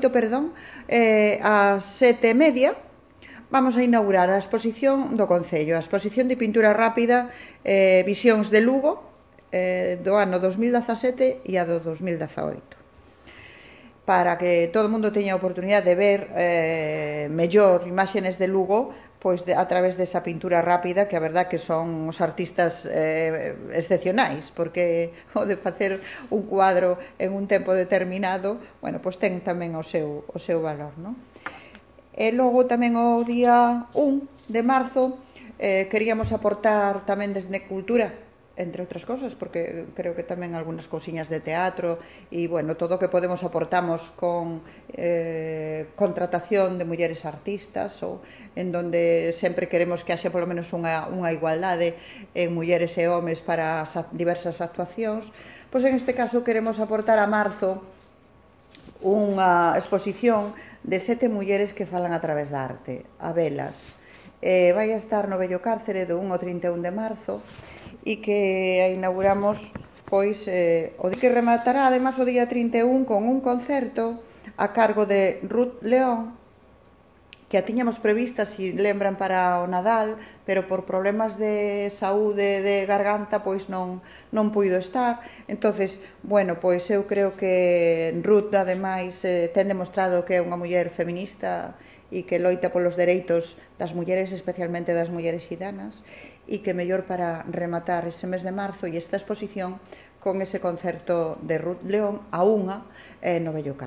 8, perdón, ás 7:30, vamos a inaugurar a exposición do Concello, a exposición de pintura rápida Visións de Lugo, do ano 2017 e a do 2018, para que todo o mundo teña a oportunidade de ver mellor imaxes de Lugo, pois a través desa pintura rápida, que a verdad que son os artistas excepcionais, porque o de facer un cuadro en un tempo determinado, bueno, pois ten tamén o seu valor, non? E logo tamén o día 1 de marzo queríamos aportar tamén desde Cultura, entre outras cosas, porque creo que tamén algunhas cousiñas de teatro e, bueno, todo o que podemos aportamos con contratación de mulleres artistas, ou en donde sempre queremos que haxe polo menos unha igualdade en mulleres e homes para as diversas actuacións. Pois en este caso queremos aportar a marzo unha exposición de 7 mulleres que falan a través da arte, a velas. Vai a estar no Vello Cárcere do 1 ao 31 de marzo, e que a inauguramos pois o día que rematará además o día 31 con un concerto a cargo de Ruth León, que a tiñamos prevista, si lembran, para o Nadal, pero por problemas de saúde de garganta pois non puido estar. Entonces, bueno, pois eu creo que Ruth ademais ten demostrado que é unha muller feminista e que loita polos dereitos das mulleres, especialmente das mulleres xidanas, e que mellor para rematar ese mes de marzo e esta exposición con ese concerto de Ruth León a 1 no Vello Cárcere.